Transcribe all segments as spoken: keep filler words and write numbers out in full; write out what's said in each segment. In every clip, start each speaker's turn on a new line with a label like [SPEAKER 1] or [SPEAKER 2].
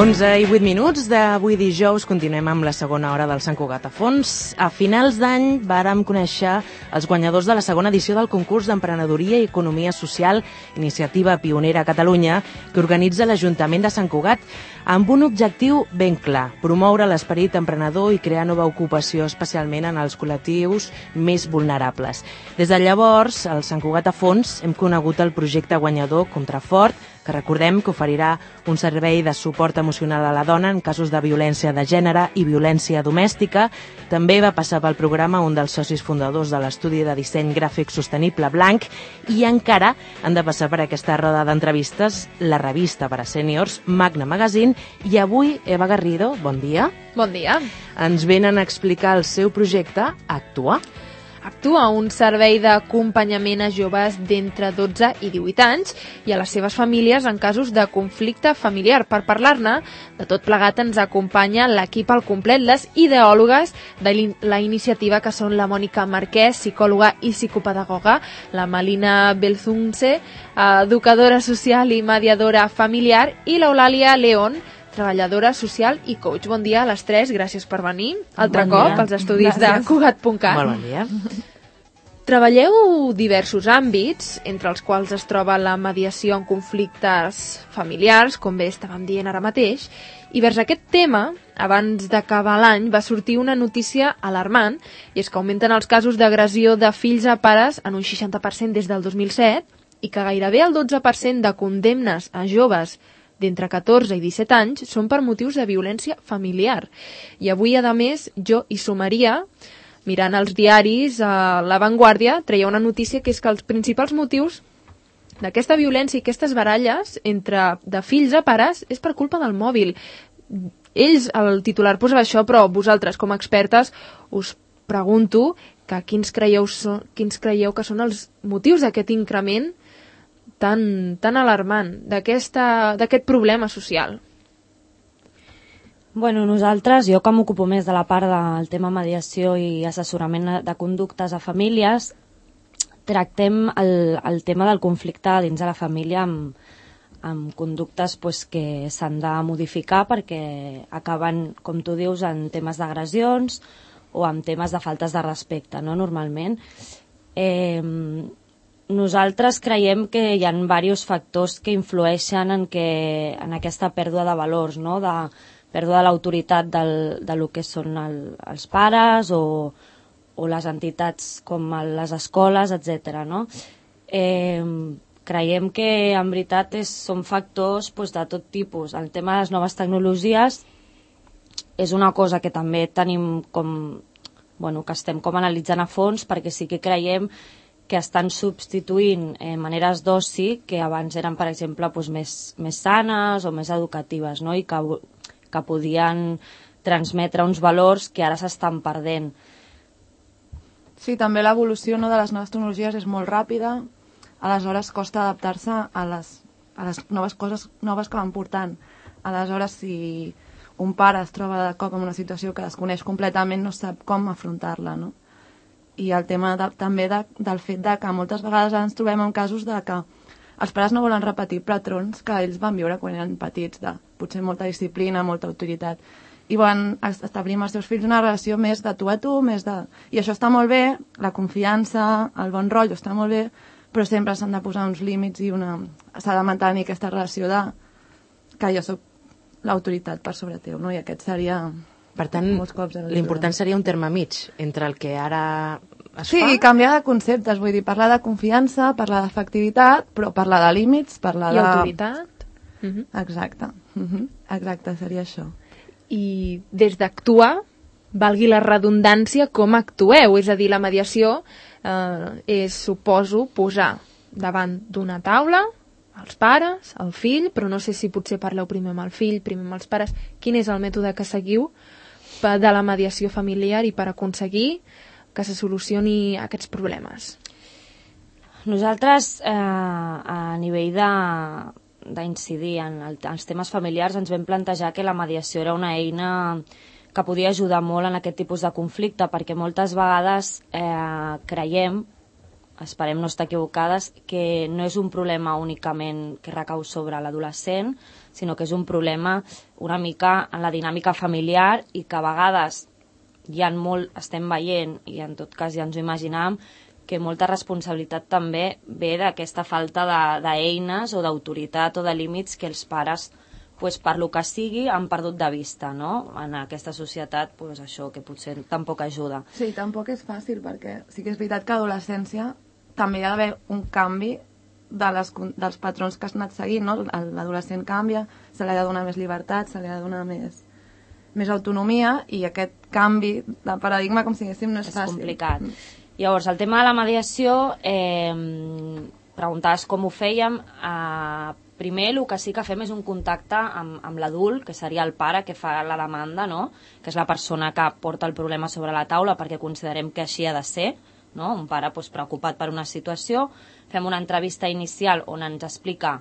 [SPEAKER 1] onze i vuit minuts d'avui dijous. Continuem amb la segona hora del Sant Cugat a fons. A finals d'any vàrem conèixer els guanyadors de la segona edició del concurs d'Emprenedoria i Economia Social, iniciativa pionera a Catalunya, que organitza l'Ajuntament de Sant Cugat, amb un objectiu ben clar: promoure l'esperit emprenedor i crear nova ocupació, especialment en els col·lectius més vulnerables. Des de llavors, al Sant Cugat a fons hem conegut el projecte guanyador Contrafort, que recordem que oferirà un servei de suport emocional a la dona en casos de violència de gènere i violència domèstica. També va passar pel programa un dels socis fundadors de l'estudi de disseny gràfic sostenible Blanc, i encara han de passar per aquesta roda d'entrevistes la revista per a sèniors Magna Magazine. I avui Eva Garrido, bon dia.
[SPEAKER 2] Bon dia.
[SPEAKER 1] Ens venen a explicar el seu projecte Actua.
[SPEAKER 2] Actua, un servei d'acompanyament a joves d'entre dotze i divuit anys i a les seves famílies en casos de conflicte familiar. Per parlar-ne, de tot plegat ens acompanya l'equip al complet, les ideòlogues de la iniciativa, que són la Mònica Marquès, psicòloga i psicopedagoga, la Malina Belzunce, educadora social i mediadora familiar, i l'Eulàlia León, treballadora social i coach. Bon dia a les tres, gràcies per venir altre
[SPEAKER 1] Bon
[SPEAKER 2] cop
[SPEAKER 1] dia.
[SPEAKER 2] als estudis
[SPEAKER 1] Gràcies.
[SPEAKER 2] de Cugat punt cat.
[SPEAKER 1] Molt bon dia.
[SPEAKER 2] Treballeu diversos àmbits, entre els quals es troba la mediació en conflictes familiars, com bé estàvem dient ara mateix, i vers aquest tema, abans d'acabar l'any, va sortir una notícia alarmant, i és que augmenten els casos d'agressió de fills a pares en un seixanta per cent des del dos mil set, i que gairebé el dotze per cent de condemnes a joves d'entre catorze i disset anys són per motius de violència familiar. I avui, a més, jo hi sumaria, mirant els diaris, a La Vanguardia treia una notícia, que és que els principals motius d'aquesta violència i aquestes baralles entre de fills a pares és per culpa del mòbil. Ells, el titular posava això, però vosaltres, com a expertes, us pregunto que quins creieu, so, quins creieu que són els motius d'aquest increment tan, tan alarmant, d'aquest problema social.
[SPEAKER 3] Bueno, nosaltres, jo que m'ocupo més de la part del tema mediació i assessorament de conductes a famílies, tractem el, el tema del conflicte dins de la família amb, amb conductes pues, que s'han de modificar perquè acaben, com tu dius, en temes d'agressions o en temes de faltes de respecte, no? Normalment. Eh, nosaltres creiem que hi ha diversos factors que influeixen en, que, en aquesta pèrdua de valors, no? De pèrdua de l'autoritat del, de lo que són el, els pares o, o les entitats com les escoles, etcètera. No? Eh, creiem que en veritat és, són factors pues, de tot tipus. El tema de les noves tecnologies és una cosa que també tenim com, bueno, que estem com analitzant a fons, perquè sí que creiem que estan substituint eh, maneres d'oci que abans eren, per exemple, pues, més, més sanes o més educatives, no? I que, que podien transmetre uns valors que ara s'estan perdent.
[SPEAKER 4] Sí, també l'evolució, no, de les noves tecnologies és molt ràpida, aleshores costa adaptar-se a les, a les noves coses noves que van portant. Aleshores, si un pare es troba de cop en una situació que desconeix completament, no sap com afrontar-la, no? I el tema de, també de, del fet de que moltes vegades ens trobem en casos de que els pares no volen repetir patrons que ells van viure quan eren petits, de potser molta disciplina, molta autoritat, i volen establir amb els seus fills una relació més de tu a tu, més de... I això està molt bé, la confiança, el bon rotllo està molt bé, però sempre s'han de posar uns límits i una... s'ha de mantenir aquesta relació de que jo soc l'autoritat per sobre teu, no? I aquest seria...
[SPEAKER 1] Per tant, l'important seria un terme mig entre el que ara es
[SPEAKER 4] sí,
[SPEAKER 1] fa...
[SPEAKER 4] Sí, canviar de conceptes, vull dir, parlar de confiança, parlar d'efectivitat, però parlar de límits, parlar
[SPEAKER 2] I
[SPEAKER 4] de...
[SPEAKER 2] I autoritat.
[SPEAKER 4] Uh-huh. Exacte, uh-huh. Exacte, seria això.
[SPEAKER 2] I des d'actuar, valgui la redundància, com actueu? És a dir, la mediació eh, és, suposo, posar davant d'una taula els pares, el fill, però no sé si potser parleu primer amb el fill, primer amb els pares. Quin és el mètode que seguiu de la mediació familiar i per aconseguir que se solucioni aquests problemes?
[SPEAKER 3] Nosaltres, eh, a nivell de d'incidir en el, els temes familiars, ens vam plantejar que la mediació era una eina que podia ajudar molt en aquest tipus de conflicte, perquè moltes vegades eh, creiem, esperem no estar equivocades, que no és un problema únicament que recau sobre l'adolescent, sinó que és un problema una mica en la dinàmica familiar i que a vegades hi ha molt, estem veient, i en tot cas ja ens ho imaginàvem, que molta responsabilitat també ve d'aquesta falta d'eines o d'autoritat o de límits que els pares, pues, per lo que sigui, han perdut de vista, no? En aquesta societat, pues, això, que potser tampoc ajuda.
[SPEAKER 4] Sí, tampoc és fàcil, perquè sí que és veritat que a l'adolescència també hi ha d'haver un canvi de les, dels patrons que has anat seguint, no? L'adolescent canvia, se li ha de donar més llibertat, se li ha de donar més, més autonomia, i aquest canvi de paradigma, com si diguéssim, no és,
[SPEAKER 3] és
[SPEAKER 4] fàcil.
[SPEAKER 3] És complicat. Llavors, el tema de la mediació, eh, preguntaves com ho fèiem. Eh, primer, el que sí que fem és un contacte amb, amb l'adult, que seria el pare que fa la demanda, no? Que és la persona que porta el problema sobre la taula, perquè considerem que així ha de ser, no? Un pare, doncs, preocupat per una situació. Fem una entrevista inicial on ens explica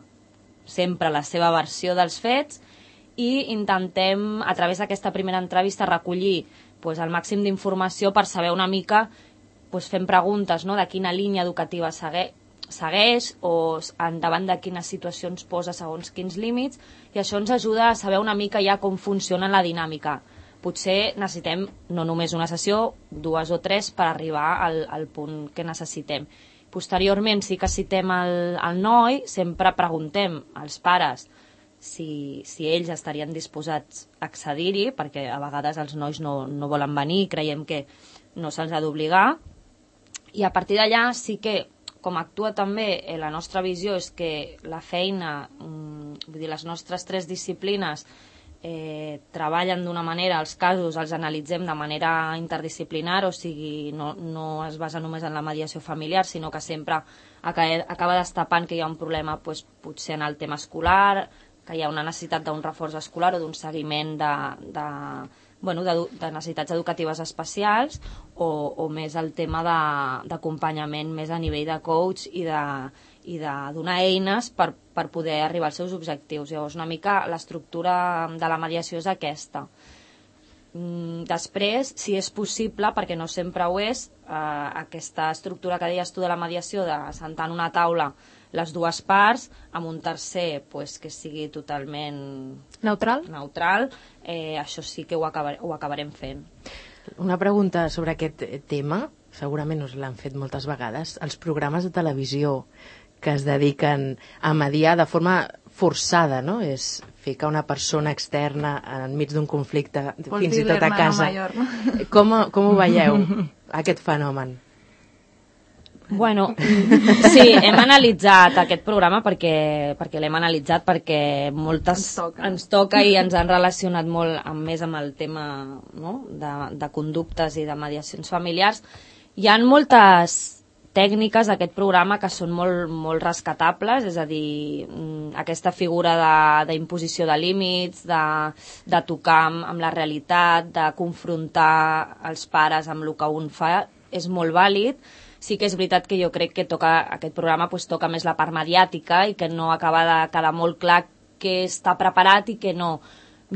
[SPEAKER 3] sempre la seva versió dels fets i intentem, a través d'aquesta primera entrevista, recollir doncs, el màxim d'informació per saber una mica, doncs, fent preguntes, no?, de quina línia educativa segueix, segueix o endavant de quines situacions posa segons quins límits, i això ens ajuda a saber una mica ja com funciona la dinàmica. Potser necessitem no només una sessió, dues o tres per arribar al, al punt que necessitem. Posteriorment sí que citem el, el noi, sempre preguntem als pares si, si ells estarien disposats a accedir-hi, perquè a vegades els nois no, no volen venir, creiem que no se'ls ha d'obligar, i a partir d'allà sí que, com actua també, eh, la nostra visió és que la feina, mm, vull dir, les nostres tres disciplines eh, treballen d'una manera, els casos els analitzem de manera interdisciplinar, o sigui, no, no es basa només en la mediació familiar, sinó que sempre acaba, acaba destapant que hi ha un problema, doncs, potser en el tema escolar, que hi ha una necessitat d'un reforç escolar o d'un seguiment de... de bueno, de, de necessitats educatives especials, o, o més el tema d'acompanyament més a nivell de coach i de, i de donar eines per, per poder arribar als seus objectius. Llavors, una mica l'estructura de la mediació és aquesta. Mm, després, si és possible, perquè no sempre ho és, eh, aquesta estructura que deies tu de la mediació, de sentar en una taula les dues parts, amb un tercer pues, que sigui totalment
[SPEAKER 2] neutral,
[SPEAKER 3] neutral eh, això sí que ho, acabar, ho acabarem fent.
[SPEAKER 1] Una pregunta sobre aquest tema, segurament us l'han fet moltes vegades. Els programes de televisió que es dediquen a mediar de forma forçada, no? És ficar una persona externa enmig d'un conflicte,
[SPEAKER 4] Vols
[SPEAKER 1] fins i tot a casa.
[SPEAKER 4] Mayor, no?
[SPEAKER 1] Com, com ho veieu, aquest fenomen?
[SPEAKER 3] Bueno, sí, hem analitzat aquest programa perquè, perquè l'hem analitzat perquè moltes
[SPEAKER 4] ens toca.
[SPEAKER 3] ens toca i ens han relacionat molt amb, més amb el tema, no?, de, de conductes i de mediacions familiars. Hi ha moltes tècniques d'aquest programa que són molt, molt rescatables, és a dir, aquesta figura d'imposició de, de límits, de, de tocar amb, amb la realitat, de confrontar els pares amb el que un fa, és molt vàlid. Sí que és veritat que jo crec que toca, aquest programa pues, toca més la part mediàtica i que no acaba de quedar molt clar que està preparat i que no.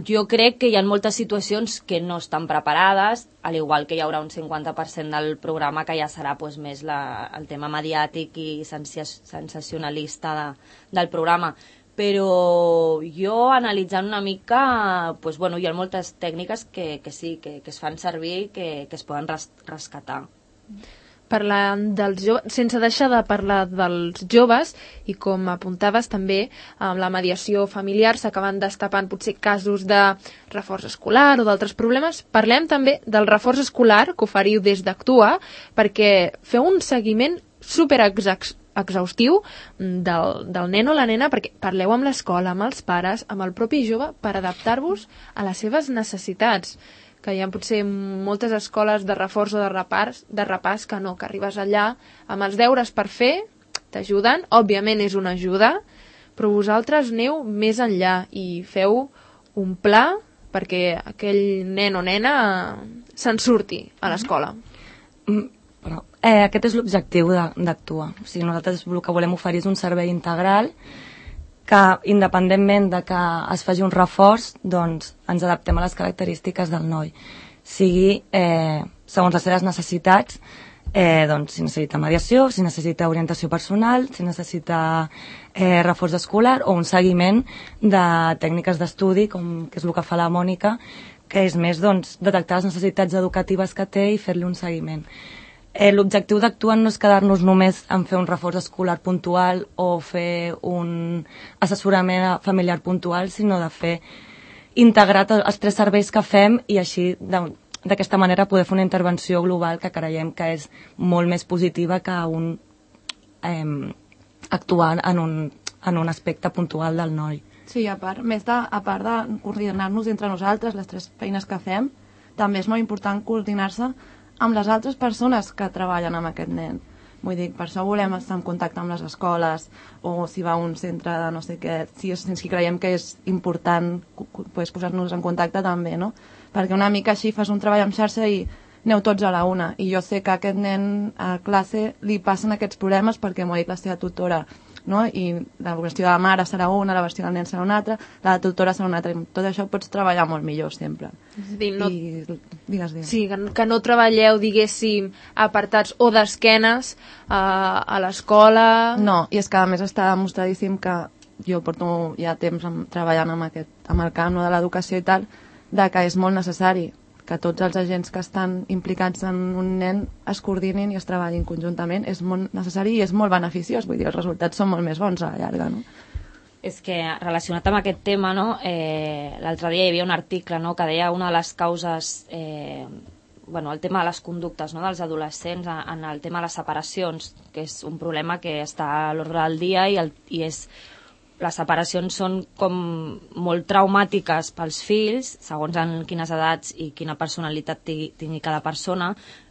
[SPEAKER 3] Jo crec que hi ha moltes situacions que no estan preparades, al igual que hi haurà un cinquanta per cent del programa que ja serà pues, més la, el tema mediàtic i sensacionalista de, del programa. Però jo, analitzant una mica, pues, bueno, hi ha moltes tècniques que, que sí, que, que es fan servir i que, que es poden res, rescatar.
[SPEAKER 2] Parlant dels joves, sense deixar de parlar dels joves, i com apuntaves també, amb la mediació familiar s'acaben destapant potser casos de reforç escolar o d'altres problemes. Parlem també del reforç escolar que oferiu des d'Actua, perquè feu un seguiment superexhaustiu del, del nen o la nena, perquè parleu amb l'escola, amb els pares, amb el propi jove, per adaptar-vos a les seves necessitats, que hi ha potser moltes escoles de reforç o de repàs, de repàs que no, que arribes allà amb els deures per fer, t'ajuden, òbviament és una ajuda, però vosaltres aneu més enllà i feu un pla perquè aquell nen o nena se'n surti a l'escola.
[SPEAKER 5] Mm, però, eh, aquest és l'objectiu d'Actua. O sigui, nosaltres el que volem oferir és un servei integral que, independentment de que es faci un reforç, doncs ens adaptem a les característiques del noi. Sigui, eh, segons les seves necessitats, eh, doncs, si necessita mediació, si necessita orientació personal, si necessita eh, reforç escolar o un seguiment de tècniques d'estudi, com que és el que fa la Mònica, que és més doncs, detectar les necessitats educatives que té i fer-li un seguiment. Eh, L'objectiu d'Actua no és quedar-nos només en fer un reforç escolar puntual o fer un assessorament familiar puntual, sinó de fer integrat els tres serveis que fem i així d'aquesta manera poder fer una intervenció global que creiem que és molt més positiva que un eh, actuar en un, en un aspecte puntual del noi.
[SPEAKER 4] Sí, a part, més de, a part de coordinar-nos entre nosaltres, les tres feines que fem, també és molt important coordinar-se amb les altres persones que treballen amb aquest nen. Vull dir, per això volem estar en contacte amb les escoles o si va a un centre de no sé què, si, si creiem que és important pues, posar-nos en contacte també, no? Perquè una mica així fas un treball en xarxa i aneu tots a la una. I jo sé que a aquest nen a classe li passen aquests problemes perquè m'ho ha dit la seva tutora, no? I la versió de la mare serà una, la versió del nen serà una altra, la tutora serà una altra, i tot això pots treballar molt millor sempre.
[SPEAKER 2] És a dir, no...
[SPEAKER 4] I, digues, digues.
[SPEAKER 2] Sí, que, que no treballeu, diguéssim, apartats o d'esquenes a, a l'escola...
[SPEAKER 4] No, i és que a més està demostradíssim que jo porto ja temps amb, treballant amb, aquest, amb el camp no, de l'educació i tal, de que és molt necessari que tots els agents que estan implicats en un nen es coordinin i es treballin conjuntament. És molt necessari i és molt beneficiós, vull dir, els resultats són molt més bons a la llarga, no?
[SPEAKER 3] És que relacionat amb aquest tema, no, eh, l'altre dia hi havia un article, no, que deia una de les causes, eh, bueno, el tema de les conductes, no, dels adolescents en el tema de les separacions, que és un problema que està a l'ordre del dia i, el, i és... Les separacions són com molt traumàtiques pels fills, segons en quines edats i quina personalitat tingui cada persona,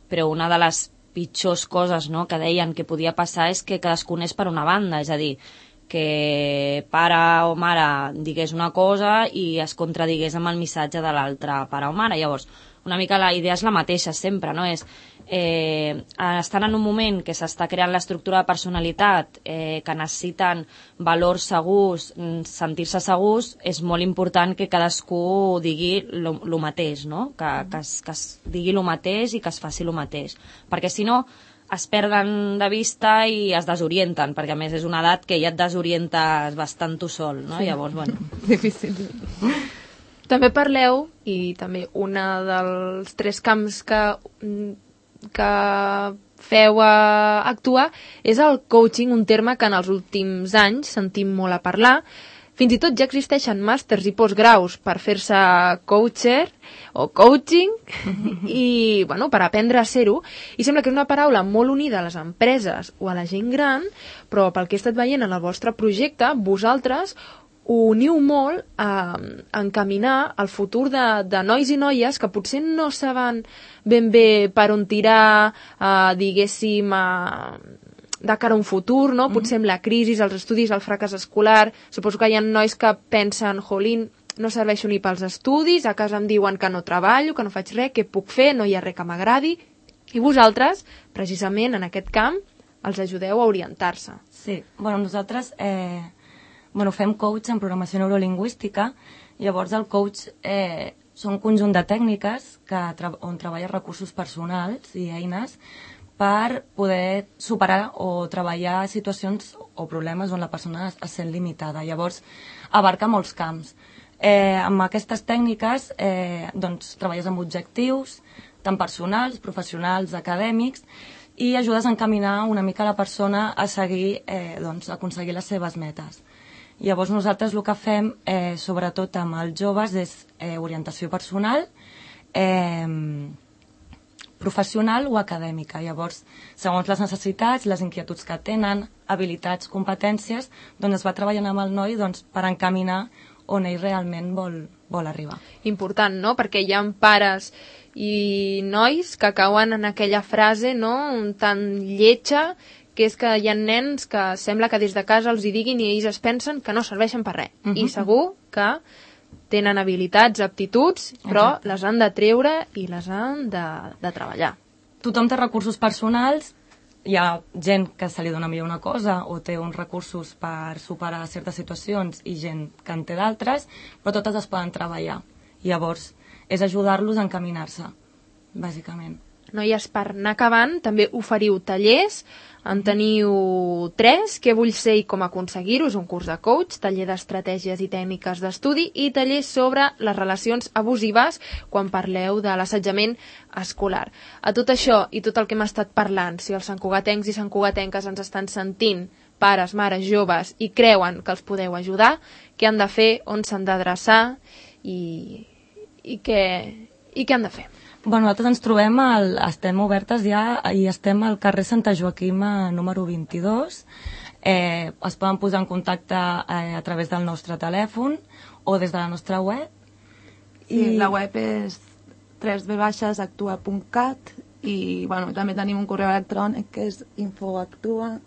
[SPEAKER 3] però una de les pitjors coses, no, que deien que podia passar és que cadascun és per una banda, és a dir, que pare o mare digués una cosa i es contradigués amb el missatge de l'altre pare o mare. Llavors, una mica la idea és la mateixa sempre, no? És, eh, estan en un moment que s'està creant l'estructura de personalitat, eh, que necessiten valors segurs, sentir-se segurs, és molt important que cadascú digui el mateix, no? Que, que, es, que es digui el mateix i que es faci el mateix. Perquè si no, es perden de vista i es desorienten, perquè a més és una edat que ja et desorientes bastant tu sol, no? Sí. Llavors, bueno...
[SPEAKER 4] Difícil.
[SPEAKER 2] També parleu, i també un dels tres camps que, que feu a actuar, és el coaching, un terme que en els últims anys sentim molt a parlar. Fins i tot ja existeixen màsters i postgraus per fer-se coacher o coaching i, bueno, per aprendre a ser-ho. I sembla que és una paraula molt unida a les empreses o a la gent gran, però pel que he estat veient en el vostre projecte, vosaltres ho uniu molt a encaminar el futur de, de nois i noies que potser no saben ben bé per on tirar, eh, diguéssim, eh, de cara a un futur, no? Potser amb la crisi, els estudis, el fracàs escolar. Suposo que hi ha nois que pensen, jolín, no serveixo ni pels estudis, a casa em diuen que no treballo, que no faig res, què puc fer, no hi ha res que m'agradi. I vosaltres, precisament en aquest camp, els ajudeu a orientar-se.
[SPEAKER 5] Sí, bueno, nosaltres... Eh... Bueno, fem coach en programació neurolingüística, llavors el coach eh, són un conjunt de tècniques que tra on treballa recursos personals i eines per poder superar o treballar situacions o problemes on la persona es, es sent limitada. Llavors, abarca molts camps. Eh, amb aquestes tècniques eh, doncs, treballes amb objectius, tant personals, professionals, acadèmics, i ajudes a encaminar una mica la persona a seguir, eh, doncs, a aconseguir les seves metes. Llavors nosaltres el que fem, eh, sobretot amb els joves, és eh, orientació personal, eh, professional o acadèmica. Llavors, segons les necessitats, les inquietuds que tenen, habilitats, competències, doncs es va treballant amb el noi doncs, per encaminar on ell realment vol, vol arribar.
[SPEAKER 2] Important, no? Perquè hi ha pares i nois que cauen en aquella frase, no?, tan lletja, que és que hi ha nens que sembla que des de casa els hi diguin i ells es pensen que no serveixen per res. Uh-huh. I segur que tenen habilitats, aptituds, però exacte, les han de treure i les han de, de treballar.
[SPEAKER 5] Tothom té recursos personals, hi ha gent que se li dona millor una cosa o té uns recursos per superar certes situacions i gent que en té d'altres, però totes es poden treballar. Llavors, és ajudar-los a encaminar-se, bàsicament.
[SPEAKER 2] noies, per anar acabant, també oferiu tallers. En teniu tres: Què vull ser i com aconseguir-ho, és un curs de coach, taller d'estratègies i tècniques d'estudi i taller sobre les relacions abusives quan parleu de l'assetjament escolar. A tot això i tot el que hem estat parlant, si els santcugatencs i santcugatenques ens estan sentint, pares, mares, joves, i creuen que els podeu ajudar, què han de fer, on s'han d'adreçar i, i, què, i què han de fer?
[SPEAKER 5] Bueno, nosaltres ens trobem, al, estem obertes ja i estem al carrer Santa Joaquima número vint-i-dos. Eh, es poden posar en contacte eh, a través del nostre telèfon o des de la nostra web.
[SPEAKER 4] I sí, la web és w w w punt actua punt cat i bueno, també tenim un correu electrònic que és infoactua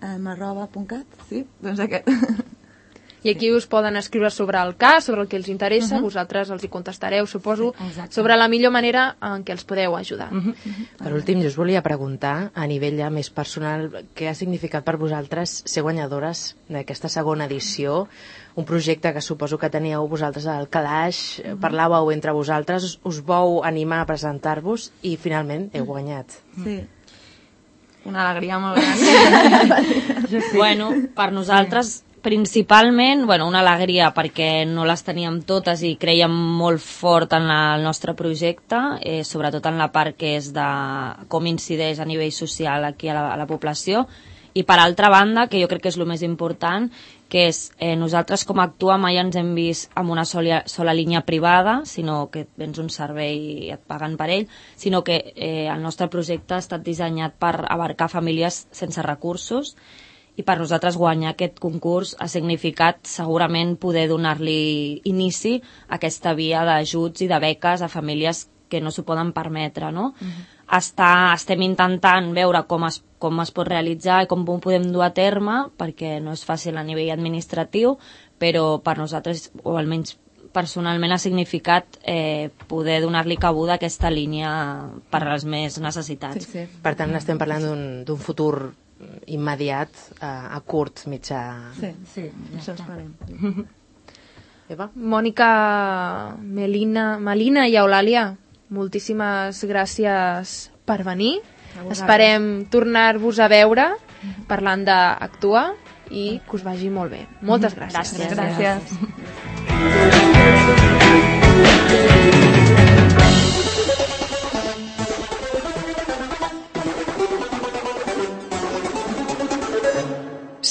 [SPEAKER 4] arroba punt cat, sí, doncs aquest.
[SPEAKER 2] I aquí us poden escriure sobre el cas, sobre el que els interessa, uh -huh. vosaltres els hi contestareu, suposo, sí, sobre la millor manera en què els podeu ajudar. Uh -huh.
[SPEAKER 1] Per últim, jo us volia preguntar, a nivell ja més personal, què ha significat per vosaltres ser guanyadores d'aquesta segona edició, un projecte que suposo que teníeu vosaltres al calaix, uh -huh. parlàveu entre vosaltres, us, us vau animar a presentar-vos i finalment heu guanyat.
[SPEAKER 4] Sí. Una alegria molt gran.
[SPEAKER 3] Sí. Bueno, per nosaltres principalment, bueno, una alegria perquè no les teníem totes i creiem molt fort en la, el nostre projecte, eh, sobretot en la part que és de com incideix a nivell social aquí a la, a la població, i per altra banda, que jo crec que és el més important, que és eh, nosaltres com a Actua mai ens hem vist amb una sola, sola línia privada, sinó que vens un servei i et paguen per ell, sinó que eh, el nostre projecte ha estat dissenyat per abarcar famílies sense recursos, i per nosaltres guanyar aquest concurs ha significat segurament poder donar-li inici a aquesta via d'ajuts i de beques a famílies que no s'ho poden permetre, no? Uh-huh. Està, estem intentant veure com es, com es pot realitzar i com ho podem dur a terme, perquè no és fàcil a nivell administratiu, però per nosaltres, o almenys personalment, ha significat eh, poder donar-li cabuda a aquesta línia per a les més necessitats.
[SPEAKER 1] Sí, sí. Per tant, estem parlant d'un, d'un futur immediat, a, a curt, mitjà...
[SPEAKER 4] Sí, sí, això esperem.
[SPEAKER 1] Eva?
[SPEAKER 2] Mònica, Melina, Melina i Eulàlia, moltíssimes gràcies per venir. Esperem tornar-vos a veure parlant d'Actua i que us vagi molt bé. Moltes gràcies.
[SPEAKER 4] Gràcies. gràcies.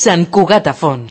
[SPEAKER 1] Sant Cugat a Fons.